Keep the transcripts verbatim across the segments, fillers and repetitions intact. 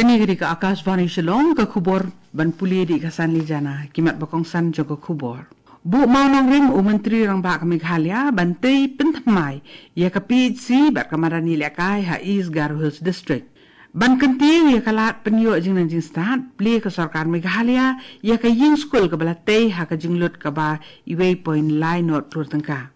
Kane ka dei ka Akashvani Shillong, ka khubor ban pule da ka Sanli Jana, ki mat ba kongsan jong ka khubor. Buh mawnongrim u Myntri Rangbah ka Meghalaya ban tei pynthymmai ïa ka P H C bad ka madan ïalehkai ha East Garo Hills District. Ban kyntiew ïa ka lad pynïoh jingnang jingstad, plie ka sorkar Meghalaya ïa ka ïing skul kaba la tei ha ka jinglut kaba wei point lai nod klur tyngka.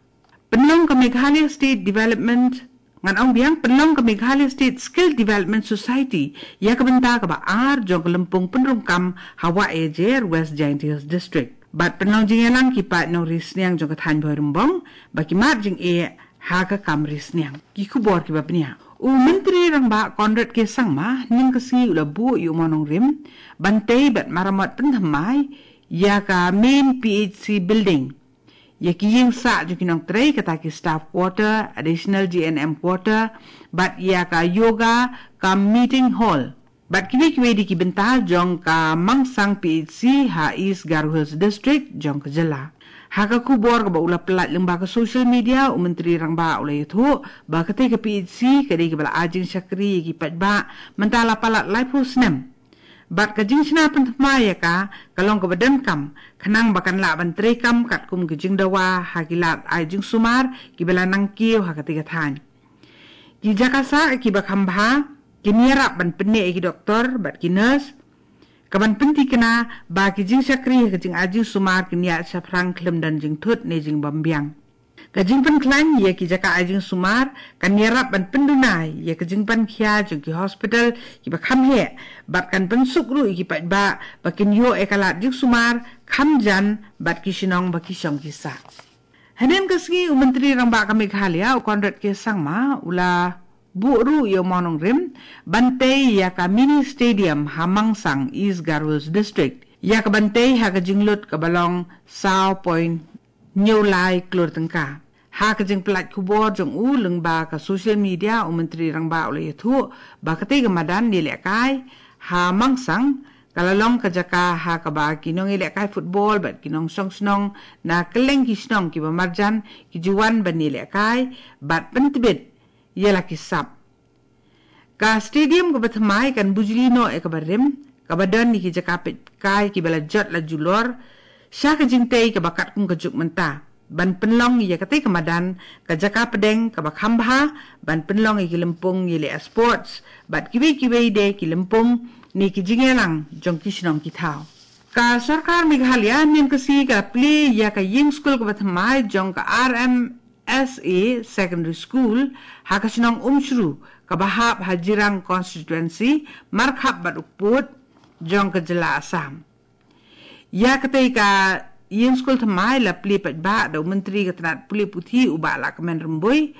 Pynlong ka Meghalaya State Development, ngan ong biang, pynlong ka Meghalaya State Skill Development Society ïa ka bynta kaba ar jong ka lympung pynrung kam ha Wah Ïajer, West Jaintia Hills District. Bad pynlong jingïalang ki paid nongri sniang jong ka thaiñ Bhoirymbong ba ki mad jingeh ha ka kam ri sniang. Ki khubor kiba bniah. U Myntri Rangbah Conrad K Sangma hynnin ka sngi u la buh ïa u mawnongrim ban tei bad maramot pynthymmai ïa ka main P H C building, ïa ki ïing sah jong ki nongtrei, kata ki staff quarter, additional G N M quarter, bad ïa ka yoga cum meeting hall, bad kiwei kiwei de ki bynta jong ka Mangsang P H C ha East Garo Hills District jong ka jylla. Ha ka khubor kaba u la pyllait lyngba ka social media, u Myntri Rangbah u la ïathuh ba katei ka P H C ka dei kaba la ai jingshakri ïa ki paidbah mynta la palat laiphew snem. Bad ka jingshna pynthymmai ïa ka, ka long kaba donkam, khnang ba kan lah ban treikam katkum ki jingdawa ha ki lad ai jingsumar kiba la nang kiew ha katei ka thaiñ. Ki jaka sah kiba kham bha kin ïarap ban pynneh ïa ki doktor bad ki nurse, kaban pynthikna ba ki jingshakri ha ka jingai jingsumar kin ïaid shaphrang khlem don jingthut ne jingbymbiang. Ka jingpynkhlaiñ ïa ki jaka ai jingsumar kan ïarap ban pynduna ïa ka jingpynkhia jong ki hospital kiba kham heh, bad kan pynsuk ruh ïa ki paidbah ba kin ïoh ïa ka lad jingsumar kham jan bad ki shnong ba ki shong ki sah. Hynnin ka sngi u Myntri Rangbah ka Meghalaya u Conrad K Sangma u la buh ruh ïa u mawnongrim ban tei ïa ka mini stadium ha Mangsang, East Garo Hills District, ïa kaban tei ha ka jinglut kaba long saw point hynñiew lai klur tyngka. Ha ka jingpyllait khubor jong u lyngba ka social media, u Myntri Rangbah u la ïathuh ba katei ka madan ïalehkai ha Mangsang ka la long ka jaka ha kaba ki nongïalehkai football bad ki nongshong shnong na kylleng ki shnong kiba marjan ki ju wan ban ïalehkai bad pyntbit ïa la ki sap. Ka stadium kaba thymmai kan bujli noh ïa kaba rim, kaba don ïa ki jaka peitkai kiba la jot la julor sha ka jingtei kaba katkum ka juk mynta, ban pynlong ïa katei ka madan ka jaka pdeng kaba kham bha ban pynlong ïa ki lympung ïaleh sports bad kiwei kiwei de ki lympung ne ki jingïalang jong ki shnong ki thaw. Ka sorkar Meghalaya mynnin ka sngi ka la plie ïa ka ïing skul kaba thymmai jong ka R M S A Secondary School ha ka shnong Umshru kaba hap ha Jirang Constituency, markhap bad u pud jong ka jylla Assam. Ïa katei ka ïing skul thymmai la plie paidbah da u Myntri ka tnat pule puthi u Bah Lahkmen Rymbui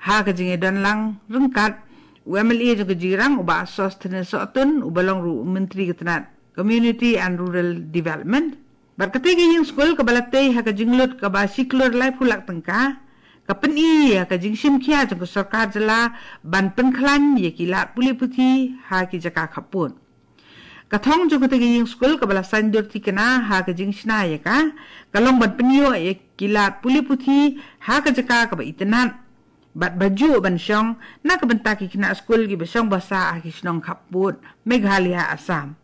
ha ka jingïadon lang ryngkat u M L A jong ka Jirang u Bah Sosthenes Sohtun uba long ruh u Myntri ka tnat Community and Rural Development. Bad katei ka ïing skul kaba la tei ha ka jinglut kaba shi klur laiphew lak tyngka ka pyni ïa ka jingshim khia jong ka sorkar jylla ban pynkhlaiñ ïa ki lad pule puthi ha ki jaka khappud. Ka thong jong katei ka ïing skul kaba la saiñdur thikna ha ka jingshna ïa ka, ka long ban pynïoh ïa ki lad pule puthi ha ka jaka kaba itynnad bad ba juh ban shong na ka bynta ki khynnah skul kiba shong ba sah ha ki shnong khappud Meghalaya, Assam.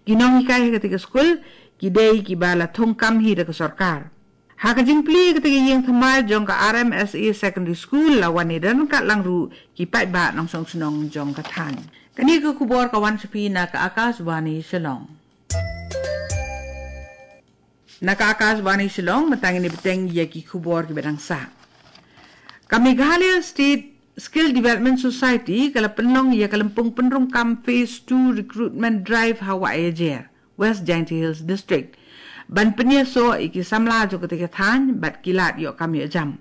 Ki nonghikai ha katei ka skul ki dei kiba la thung kam hi da ka sorkar. Ha ka jingplie katei ka ïing thymmai jong ka R M S A Secondary School la wan ïadon ryngkat lang ruh ki paidbah nongshong shnong jong ka thaiñ. Kane ka khubor ka wan sha phi na ka Akashvani Shillong. Na ka Akashvani Shillong, mynta ngin ïa bteng ïa ki khubor kiba dang sah. Ka Meghalaya State Skill Development Society ka la pynlong ïa ka lympung pynrung kam Phase two Recruitment Drive ha Wah Ïajer, West Jaintia Hills District, ban pynïasoh ïa ki samla jong katei ka thaiñ bad ki lad ïoh kam ïoh jam.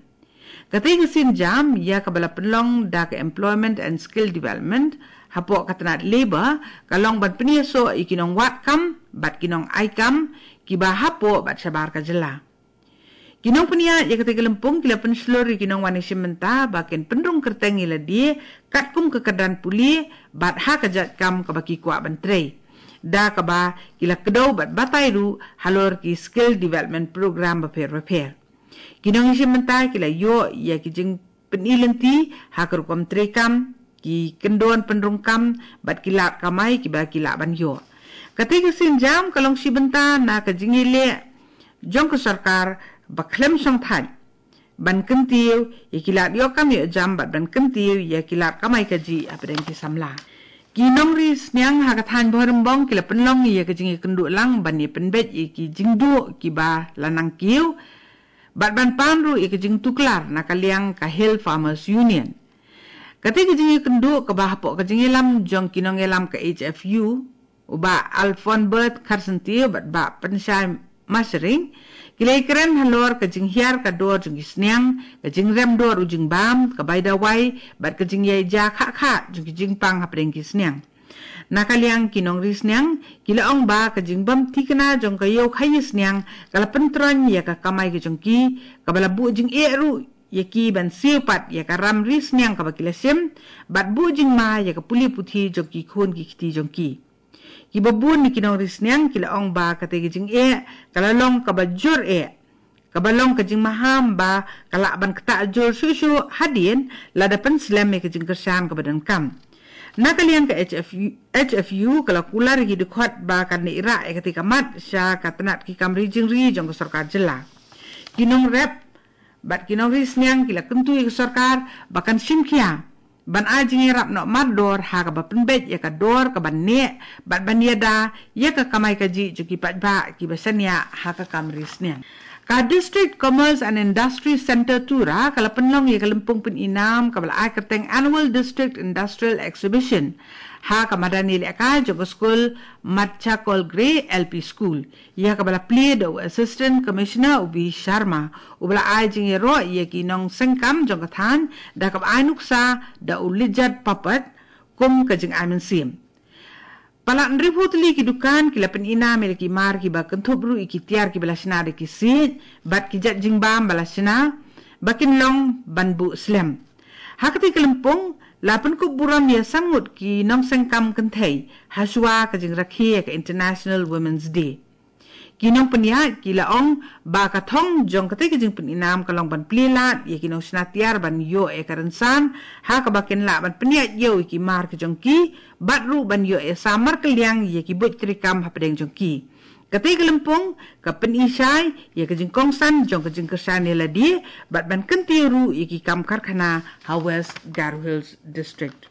Katei ka sienjam ïa kaba la pynlong da ka Employment and Skill Development hapoh ka tnat Labour ka long ban pynïasoh ïa ki nongwad kam bad ki nongai kam kiba hapoh bad shabar ka jylla. Ki nongpynïaid ïa katei ka lympung ki la pynshlur ïa ki nongwan ïashim bynta ba kin pynrung kyrteng ïa lade katkum ka kyrdan pule bad ha ka jait kam kaba ki kwah ban trei, da kaba ki la kdew bad batai ruh halor ki skill development program bapher bapher. Ki nongïashim bynta ki la ïoh ïa ki jingpyni lynti ha ka rukom treikam, ki kyndon pynrung kam bad ki lad kamai kiba ki lah ban ïoh. Kata ka sienjam ka long shi bynta na ka jingïaleh jong ka sorkar ba khlem shongthait ban kyntiew ïa ki lad ïoh kam ïoh jam bad ban kyntiew ïa ki lad kamai kajih hapdeng ki samla. Ki nongri sniang ha ka thaiñ Bhoirymbong ki la pynlong ïa ka jingïakynduh lang ban ïa pynbeit ïa ki jingduh kiba la nang kiew bad ban pan ruh ïa ka jingtuklar na ka liang ka Hill Farmers Union. Kata ka jingïakynduh kaba hapoh ka jingïalam jong ki nongïalam ka H F U, u Bah Alfonbert Kharsyntiew bad Bah Pynshai Mashering, ki la ïakren halor ka jinghiar ka dor jong ki sniang, ka jingrem dor u jingbam, ka bai dawai bad ka jingïaja khah khah jong ki jingpang hapdeng ki sniang. Na ka liang ki nongri sniang ki la ong ba ka jingbam thikna jong ka ïew khaïi sniang ka la pyntroiñ ïa ka kamai ka jong ki, kaba la buh jingeh ruh ïa ki ban siew pat ïa ka ram ri sniang kaba ki la shim bad buh jingma ïa ka pule puthi jong ki khun ki kti jong ki. Kiba bun na ki nongri sniang ki la ong ba kata ka jingeh ka la long kaba jur eh, kaba long ka jingmaham ba ka lah ban ktah jur shuh shuh hadien lada pynslem ïa ka jingkyrshan kaba donkam. Na ka liang ka H F U, H F U ka la kular ïa ki dkhot ba kan ïarap ïa kata ka mat sha ka tnat ki kam ri jingri jong ka sorkar jylla. Ki nongrep bad ki nongri sniang ki la kyntu ïa ka sorkar ba kan shim khia ban ai jingïarap noh mardor ha kaba pynbeit ïa ka dor kaban neh bad ban ïada ïa ka kamai kajih jong ki paidbah kiba shaniah ha ka kam ri sniang. Ka District Commerce and Industry Centre Tura ka la pynlong ïa ka lympung pynïnam kaba la ai kyrteng Annual District Industrial Exhibition ha ka madan ïalehkai jong ka skul Machakol Grey L P School, ïa kaba la plie da u Assistant Commissioner u B Sharma, uba la ai jingïaroh ïa ki nongseng kam jong ka thaiñ da kaba ai nuksa da u Lijat Papat kum ka jingai mynsiem. Palat hynriewphew tylli ki dukan ki la pynïnam ïa ki mar kiba kynthup ruh ïa ki tiar kiba la shna da ki siej bad ki jait jingbam ba la shna ba kin long ban buh slem. Ha kata ka lympung la pynkup burom ïa san ngut ki nongseng kam kynthei ha shuwa ka jingrakhe ïa ka International Women's Day. Ki nongpynïaid ki la ong ba ka thong jong kata ka jingpynïnam ka long ban plie lad ïa ki nongshna tiar ban ïoh ïa ka rynsan ha kaba kin lah ban pynïaid ïew ïa ki mar ka jong ki bad ruh ban ïoh ïa samar kylliang ïa ki buit treikam hapdeng jong ki. Kata ka lympung ka pynshai ïa ka jingkongsan jong ka jingkyrshan ïa lade bad ban kyntiew ruh ïa ki kam karkhana ha West Garo Hills District.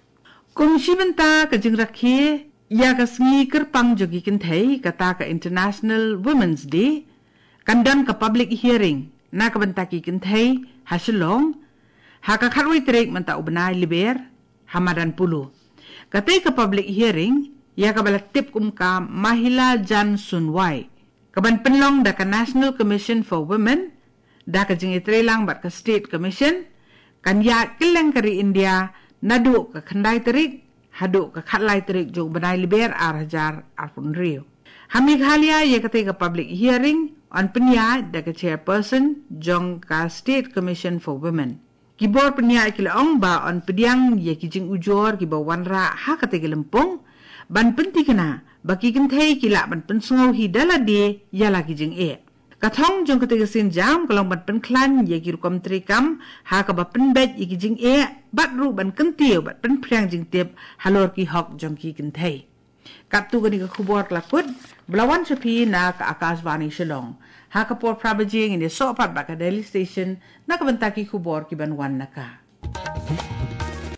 Kum shi bynta ka jingrakhe ïa ka sngi kyrpang jong ki kynthei, kata ka International Women's Day, kan don ka public hearing na ka bynta ki kynthei ha Shillong ha ka khatwei tarik mynta u bnai Lber ha madan Polo. Kata ka public hearing ïa kaba la tip kum ka Mahila Jan Sunwai, kaban pynlong da ka National Commission for Women da ka jingïatreilang bad ka State Commission, kan ïaid kylleng ka ri India naduh ka khyndai tarik haduh ka khatlai tarik jong u bnai Lber ar hajar arphew hynriew. Ha Meghalaya ïa kata ka public hearing yn pynïaid da ka chairperson jong ka State Commission for Women. Ki bor pynïaid ki la ong ba yn pdiang ïa ki jingujor kiba wanrah ha kata ka lympung ban pynthikna ba ki kynthei ki lah ban pynsngew hi da lade ïa la ki jingeh. Ka thong jong kata ka sienjam ka long ban pynkhlaiñ ïa ki rukom treikam ha kaba pynbeit ïa ki jingeh bad ruh ban kyntiew bad pynphriang jingtip halor ki hok jong ki kynthei. Katto kane ka khubor ka la kut ba la wan sha phi na ka Akashvani Shillong. Ha ka por phra baje ngin ïasoh pat bad ka Delhi Station na ka bynta ki khubor kiban wan na ka